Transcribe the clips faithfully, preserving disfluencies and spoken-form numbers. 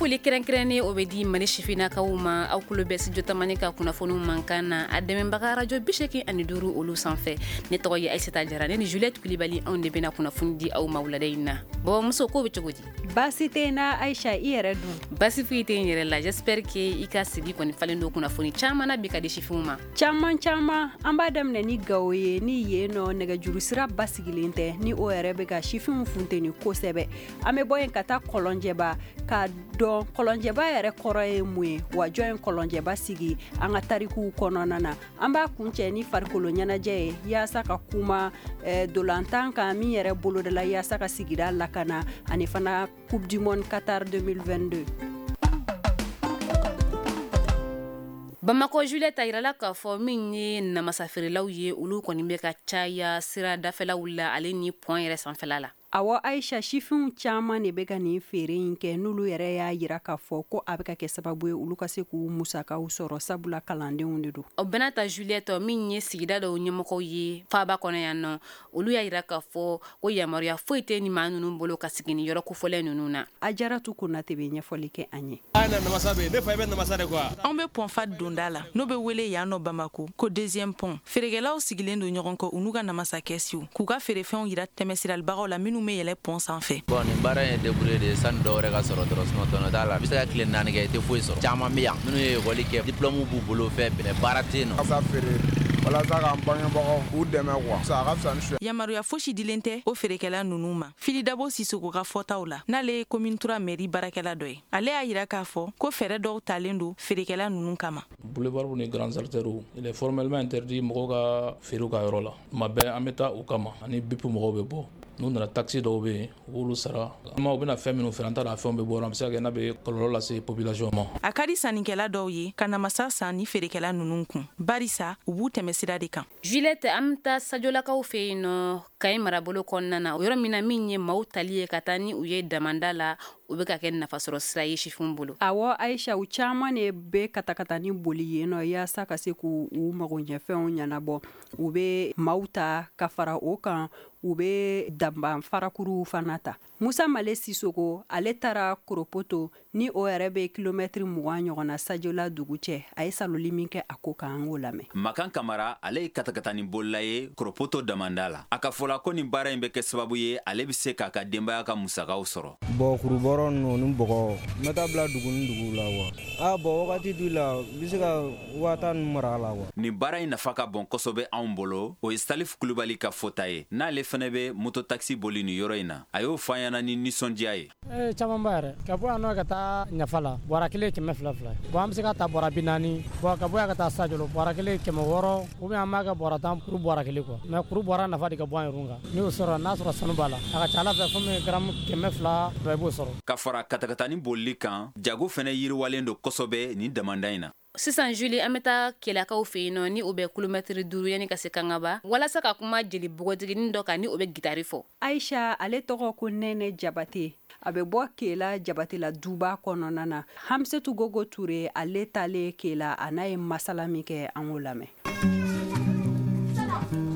Foli kɛrɛnkɛrɛnnen o bɛ di Mali sifinnakaw ma. Aw tulo bɛ Studio Tamani ka kunnafoniw mankan na, a dɛmɛbaga radio bi seegin ani duuru olu sanfɛ. Ne tɔgɔ ye Ayisata Jara, ne ni Juliette Kulibali, anw de bɛna kunnafoni di aw ma wulada in na. Babamuso, ko bɛ cogo di? Baasi tɛ n na Ayisa, i yɛrɛ dun? Baasi foyi tɛ n yɛrɛ la. J'espère que i ka sigi kɔni falen don kunnafoni caman na bi ka di sifinw ma. Caman caman. An b'a daminɛ ni Gawo ye, ni yen nɔ nɛgɛjuru sira basigilen tɛ, ni o yɛrɛ bɛ ka sifinw funteni kosɛbɛ. An bɛ bɔ yen ka taa Kɔlɔnjɛba ka dɔn Kɔlɔnjɛba yɛrɛ kɔrɔ ye mun ye, wa jɔn ye Kɔlɔnjɛba sigi an ka tarikuw kɔnɔna na. An b'a kuncɛ ni farikolo ɲɛnajɛ ye, yaasa ka kuma eh, dolantan kan min yɛrɛ bolodala yaasa ka sigida lakana, ani fana Coupe du Monde Qatar deux mille vingt-deux. Bamakɔ, Juliette, a yirala k'a fɔ min ye namasa feerelaw ye, olu kɔni bɛ ka caya sira dafɛlaw la, ale ni pont yɛrɛ sanfɛla la. Awɔ Ayisa, sifinw caman de bɛ ka nin feere in kɛ, n'olu yɛrɛ y'a yira k'a fɔ ko a bɛ ka kɛ sababu ye olu ka se k'u musakaw sɔrɔ, sabula kalandenw de don. O bɛna ta, Juliette, min ye sigida dɔw ɲɛmɔgɔw ye faaba kɔnɔ yan nɔ, olu y'a yira k'a fɔ ko yamaruya foyi tɛ ni maa ninnu bolo ka sigi ni yɔrɔ kofɔlɛ ninnu na. Ajaratu Konate bɛ ɲɛfɔli kɛ an ye. Namasa bɛ ne fa, i bɛ namasa de quoi. Anw bɛ pont Fahd donda la, n'o bɛ wele yan nɔ Bamako ko deuxième pont. Feerekɛlaw sigilen don ɲɔgɔn kɔ, u n'u ka namasa kɛsiw, k'u ka feerefɛnw yira tɛmɛsiralibagaw la minnu bɛ yɛlɛ pont sanfɛ. Bon, nin baara in ye débrouiller de ye sani dɔw wɛrɛ ka sɔrɔ dɔrɔn, sinon tɔnɔ t'a la. I bɛ se ka tile naani kɛ, i tɛ foyi sɔrɔ. Caman bɛ yan minnu ye ekɔli kɛ, diplôme b'u bolo, fɛn bɛɛ, baara tɛ yen nɔ. Namasa feere walasa k'an bangebagaw k'u dɛmɛ quoi, a ka fisa ni suɲɛ. Yamaruya fosi dilen tɛ o feerekɛla ninnu ma. Fili Dabo Sisoko ka fɔtaw la, n'ale ye commune trois mairie baarakɛla dɔ ye, ale y'a yira k'a fɔ ko fɛɛrɛ dɔw talen don feerekɛla ninnu kama. Boulevard ni grandes artères, il est formellement interdit mɔgɔw ka feere ka yɔrɔ la. Tuma bɛɛ an bɛ taa o kama, ani B I P mɔgɔw bɛ bɔ. N'u nana, taxe dɔw bɛ yen, u b'olu sara. U bɛna fɛn minnu feere, an t'a dɔn a fɛnw bɛ bɔ, a bɛ se ka kɛ n'a bɛ kɔlɔlɔ lase population ma. A ka di sannikɛla dɔw ye ka namasa san ni feerekɛla ninnu kun, barisa u b'u tɛmɛ sira de kan. Juliette, an bɛ taa Sajolakaw fɛ yen nɔ, Kayi marabolo kɔnɔna na, o yɔrɔ min na min ye maaw tali ye ka taa ni u ye damanda la, u bɛ ka kɛ nafasɔrɔ sira ye sifinw bolo. Awɔ Ayisa, u caman de bɛ katakatani boli yen nɔ yaasa ka se k'u u magoɲɛfɛnw ɲɛnabɔ. U bɛ maaw ta ka fara o kan, u bɛ danban farakuruw fana ta. Musa Male Sisoko, ale taara Koropoto, ni o yɛrɛ bɛ kilomɛtiri mugan ɲɔgɔn na Sajola dugu cɛ. A ye saloli min kɛ a ko kan, an k'o lamɛn. Makan Kamara, ale ye katakatani bolila ye Koropoto damanda la. A ka fɔ la ko nin baara in bɛ kɛ sababu ye ale bɛ se k'a ka denbaya ka musakaw sɔrɔ. Bon, kurubɔrɔ ninnu ni bɔgɔ, n bɛ taa bila dugu ni dugu la quoi. Ah bon, wagati dɔ la, n bɛ se ka waa tan ninnu mara a la quoi. Nin baara in nafa ka bon kosɛbɛ anw bolo, o ye Salif Kulubali ka fɔta ye, n'ale fana bɛ moto taxi boli nin yɔrɔ in na. A y'o fɔ an ɲɛna ni nisɔndiya ye. Ee, caman ba yɛrɛ. Ka bɔ yan nɔ ka taa Ɲafa la, bɔrɛ kelen kɛmɛ fila fila. Bon, an bɛ se ka ta bɔrɛ bi naani. Bon, ka bɔ yan ka taa Sajolo, bɔrɛ kelen kɛmɛ wɔɔrɔ, ou bien an b'a kɛ bɔrɛ tan kuru bɔrɛ kelen quoi. Mais kuru bɔrɛ nafa de ka bon an yɛrɛ kan. N'i y'o sɔrɔ, n'a sɔrɔ sanu b'a la, a ka ca Ala fɛ, fɛn min ye garamu kɛmɛ fila i b'o sɔrɔ. Ka fara katakatani bolili kan, jago fana yiriwalen don kosɛbɛ nin damanda in na. Sisan Julie, an bɛ taa Kɛlɛkaw fɛ yen nɔ, ni o bɛ kilomɛtiri duuru yanni ka se Kangaba, walasa ka kuma jeli npogotiginin dɔ kan ni o bɛ gitari fɔ. Ayisa, ale tɔgɔ ko Nɛnɛ Jabate, a bɛ bɔ Kela Jabatela duba kɔnɔna na. Hamisetu Gogo Ture, ale talen Kela, a n'a ye masala min kɛ, an k'o lamɛn.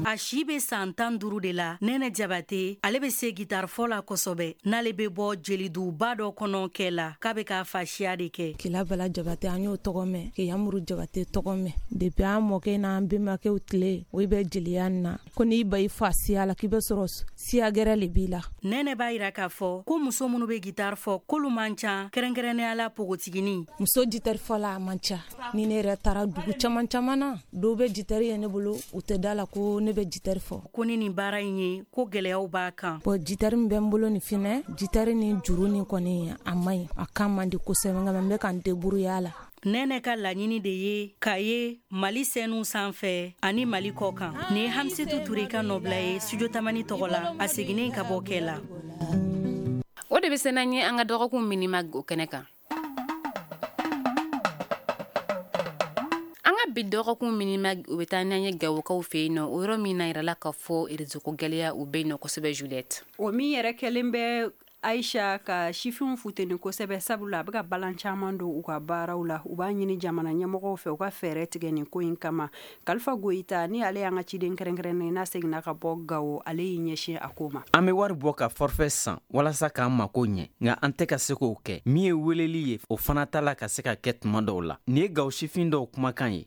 A si bɛ san tan duuru de la, Nɛnɛ Jabate, ale bɛ se gitarifɔ la kosɛbɛ. N'ale bɛ bɔ jeliduba dɔ kɔnɔ kɛ la, k'a bɛ k'a fasiya de kɛ. Kela Bala Jabate, an y'o tɔgɔ mɛn, Keyamuru Jabate tɔgɔ mɛn depuis an mɔkɛ n'an bɛnbakɛw tile. O bɛ jeliya nin na ko n'i ba i fa siya la, k'i bɛ sɔrɔ siya gɛrɛ le b'i la. Nɛnɛ b'a yira k'a fɔ ko muso minnu bɛ gitari fɔ, k'olu man ca, kɛrɛnkɛrɛnnenya la npogotiginin. Muso gitari fɔla a man ca. Ni ne yɛrɛ taara dugu caman caman na, dɔw bɛ gitari ye ne bolo, u tɛ da la ko ne bɛ gitari fɔ. Ko ni nin baara in ye, ko gɛlɛyaw b'a kan. Bon, gitari min bɛ n bolo nin finɛ, gitari ni juru ni kɔni, a man ɲi, a kan man di kosɛbɛ, nka n bɛ ka n débrouiller a la. Nɛnɛ ka laɲini de ye k'a ye Mali sɛnɛw sanfɛ ani Mali kɔ kan. Nin ye Hamisetu Ture ka nɔbila ye Studio Tamani tɔgɔ la, a seginnen ka bɔ kɛ la. O de bɛ se n'an ye an ka dɔgɔkun minima o kɛnɛ kan. An ka bi dɔgɔkun minima, o bɛ taa n'an ye Gawokaw fɛ yen nɔ, o yɔrɔ min na yirala k'a fɔ réseau ko gɛlɛya u bɛ yen nɔ kosɛbɛ, Juliette. O min yɛrɛ kɛlen bɛ Aisha, ka sifinw futeni kosɛbɛ, sabula a bɛ ka balan caman don u ka baaraw la. U b'a ɲini jamana ɲɛmɔgɔw fɛ u ka fɛɛrɛ tigɛ nin ko in kama. Kalifa Goyita ni ale y'an ka ciden kɛrɛnkɛrɛnnen n'a seginna ka bɔ Gawo, ale y'i ɲɛsin a ko ma. An bɛ wari bɔ ka forfait san walasa k'an mako ɲɛ, nka an tɛ ka se k'o kɛ. Min ye weleli ye, o fana t'a la ka se ka kɛ tuma dɔw la. Nin ye Gawo sifin dɔw kumakan ye.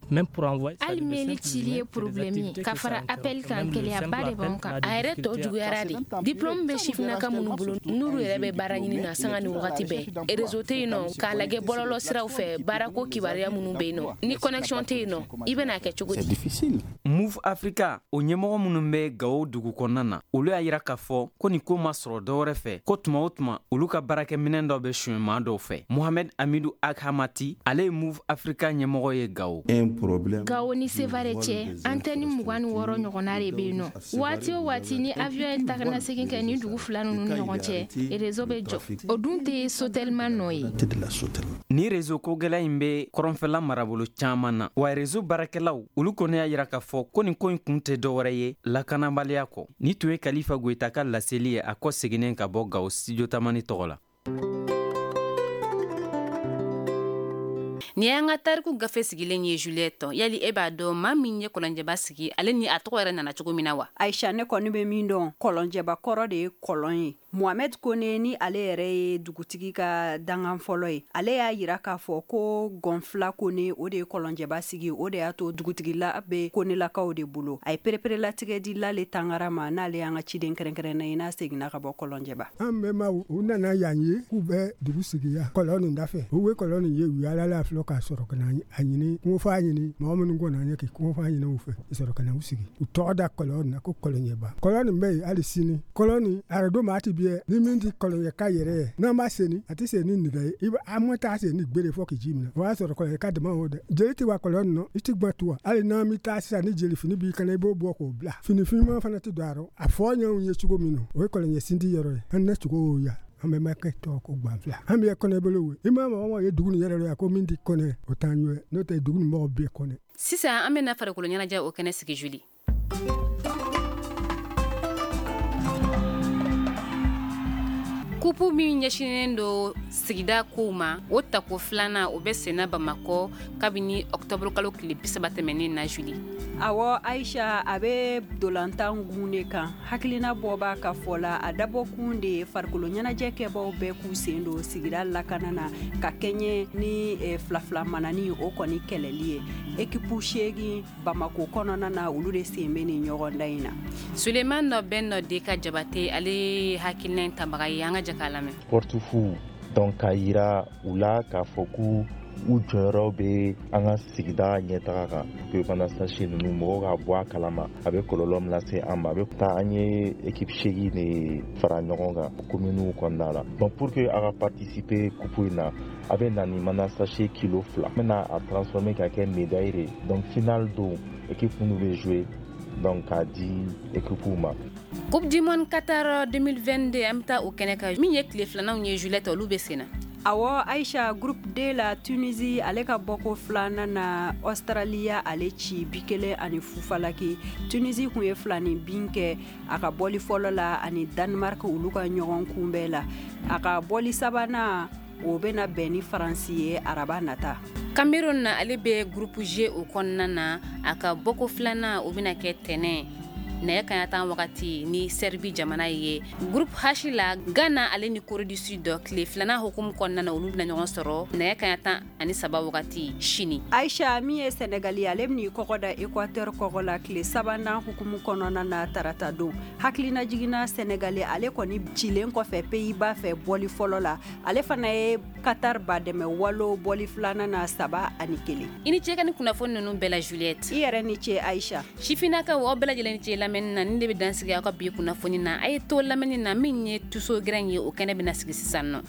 Hali meli cili ye problème ye, ka fara appel kan, gɛlɛyaba de b'anw kan. A yɛrɛ tɔ juguyara de. Diplôme bɛ sifinnaka minnu bolo, n'olu yɛrɛ bɛ baara ɲini na sanga ni wagati bɛɛ, réseau tɛ yen nɔ, k'a lajɛ bɔlɔlɔ siraw fɛ, baarako kibaruya minnu bɛ yen nɔ, ni connexion tɛ yen nɔ, i bɛna kɛ cogo di? Move Africa o ɲɛmɔgɔ minnu bɛ Gawo dugu kɔnɔna na, olu y'a yira k'a fɔ ko nin ko ma sɔrɔ dɔwɛrɛ fɛ, ko tuma o tuma olu ka baarakɛminɛn dɔ bɛ suɲɛ maa dɔw fɛ. Mohamed Amidou Aghamati, ale ye Move Africa ɲɛmɔgɔ ye Gawo. Gawo ni Sevare cɛ, antenne mugan ni wɔɔrɔ ɲɔgɔnna de bɛ yen nɔ. Waati o waati ni avion ye taganasegin kɛ ni dugu fila ninnu ni ɲɔgɔn cɛ, réseau bɛ jɔ. O dun tɛ Sotelma nɔ ye. Ni réseau ko gɛlɛn in bɛ kɔrɔnfɛla marabolo caman na, wa réseau baarakɛlaw olu kɔni y'a yira k'a fɔ ko nin ko in kun tɛ dɔwɛrɛ ye lakanabaliya kɔ. Ni tun ye Kalifa Goyita ka laseli ye a kɔ seginnen ka bɔ Gawo studio Tamani tɔgɔ la. Ni y'an ka tariku gafe sigilen ye Juliette, yali e b'a dɔn maa min ye Kɔlɔnjɛba sigi, ale ni a tɔgɔ yɛrɛ nana cogo min na wa? Aisha, ne kɔni bɛ min dɔn, Kɔlɔnjɛba kɔrɔ de ye kɔlɔn ye. Mohamed Kone ni ale yɛrɛ ye dugutigi ka dangan fɔlɔ ye, ale y'a yira k'a fɔ ko Gɔnfila Kone o de ye Kɔlɔnjɛba sigi, o de y'a to dugutigila bɛ Konelakaw de bolo. A ye pereperelatigɛ di Lale Tangara ma, n'ale y'an ka ciden kɛrɛnkɛrɛnnen ye n'a seginna ka bɔ Kɔlɔnjɛba. An bɛnbaw u nana yan ye k'u bɛ dugu sigi yan kɔlɔn nin dafɛ. U ye kɔlɔn nin ye, u yaalala filɛ k'a sɔrɔ ka na a ɲini kungofa ɲini mɔgɔ minnu ko na ɲɛ k'i kungofa ɲini u fɛ, i sɔrɔ ka na u sigi. U tɔgɔ da kɔlɔn na ko Kɔlɔnjɛba. Kɔlɔn nin bɛ yen hali sini. Kɔlɔn nin arado maa ti bi ni min ti Kɔlɔnjɛka yɛrɛ ye, n'an b'a seni a tɛ sen ni nɛgɛ ye, i bɛ an ma taa sen ni gbere fɔ k'i ji minɛ. O y'a sɔrɔ Kɔlɔnjɛka dama o dɛ. Jeli tɛ wa kɔlɔn nin nɔ, i ti gbɔ tu wa. Hali n'an bɛ taa sisan ni jeli fini b'i kana, i b'o bɔ k'o bila. Fini finman fana tɛ don a rɔ. A fɔ ɲɛw ye cogo min na, o ye Kɔlɔnjɛ sindi yɔrɔ ye. An na cogo y'o ya. An bɛ makɛ tɔgɔ ko Gbanfila. An bɛ kɔnɛ bolo we. I ma mɔgɔ ye dugu nin yɛrɛ la ko min tɛ kɔnɛ, o t'an ye. N'o tɛ dugu nin mɔgɔ bɛɛ kɔnɛ. Sisan an bɛna farikolo ɲɛnajɛ o kɛnɛ sigi Julie. Kupu min ɲɛsinnen don sigida kow ma, o tako filanan o bɛ senna Bamakɔ kabini ɔkutɔburu kalo tile bi saba tɛmɛnen na Julie. Awɔ Aisha, a bɛ dolantan gun de kan. Hakilina bɔ b'a ka fɔ la, a dabɔkun de ye farikolo ɲɛnajɛ kɛbaw bɛɛ k'u sen don sigida lakana na ka kɛɲɛ ni fila fila manani o kɔni kɛlɛli ye. Ekipu seegin Bamakɔ kɔnɔna na, olu de sen bɛ nin ɲɔgɔndan in na. Suleiman Nɔbɛn de ka Jabate, ale ye hakilina in tabaga ye, an ka jɛ k'a lamɛn. Sportifu donc k'a yira u la k'a fɔ k'u u jɔyɔrɔ bɛ an ka sigida ɲɛtaga kan. Mana sachet ninnu mɔgɔw ka bɔ a kalama, a bɛ kɔlɔlɔ min lase an ma. A bɛ taa an ye équipe seegin de fara ɲɔgɔn kan communes kɔnɔna la. Bon, pour que a ka participer coupe in na, a bɛ na ni mana sachet kilo fila. An bɛna a transformer ka kɛ médaille de. Donc finale don, équipe minnu bɛ jouer, donc k'a di équipe ma. Coupe du monde Qatar deux mille vingt-deux, an bɛ taa o kɛnɛ kan. Min ye tile filananw ye Juliette, olu bɛ sen na. Awɔ Aisha, groupe D la, Tunisie ale ka bɔko filanan na Australia ale ci bi kelen ani fufalaki. Tunisie kun ye fila ni bin kɛ a ka bɔli fɔlɔ la ani Danemark olu ka ɲɔgɔn kunbɛn la. A ka bɔli sabanan o bɛna bɛn ni Faransi ye araba nata. Cameroun na, ale bɛ groupe G o kɔnɔna na, a ka bɔko filanan o bɛna kɛ tɛnɛn nɛgɛ kanɲɛ tan wagati ni Serbie jamana ye. Groupe H la, Ghana ale ni Corée du Sud tile filanan hukumu kɔnɔna na, olu bɛna ɲɔgɔn sɔrɔ nɛgɛ kanɲɛ tan ani saba wagati sini. Aisha, min ye Senegali ye, ale bɛn'i kɔgɔ da Équateur kɔgɔ la tile sabanan hukumu kɔnɔna na tarata don. Hakilina jiginna Senegali ale kɔni cilen kɔfɛ Pays-Bas fɛ bɔli fɔlɔ la, ale fana ye Qatar ba dɛmɛ walo bɔli filanan na saba ani kelen. I ni ce ka ni kunnafoni ninnu bɛɛ la Juliette. I yɛrɛ ni ce Aisha. Sifinnakaw, aw bɛɛ lajɛlen ni ce lamɛnni na. Nin de bɛ dan sigi aw ka bi kunnafoni na. A ye to lamɛnni na, min ye tuso gɛrɛn ye, o kɛnɛ bɛna sigi sisan nɔ.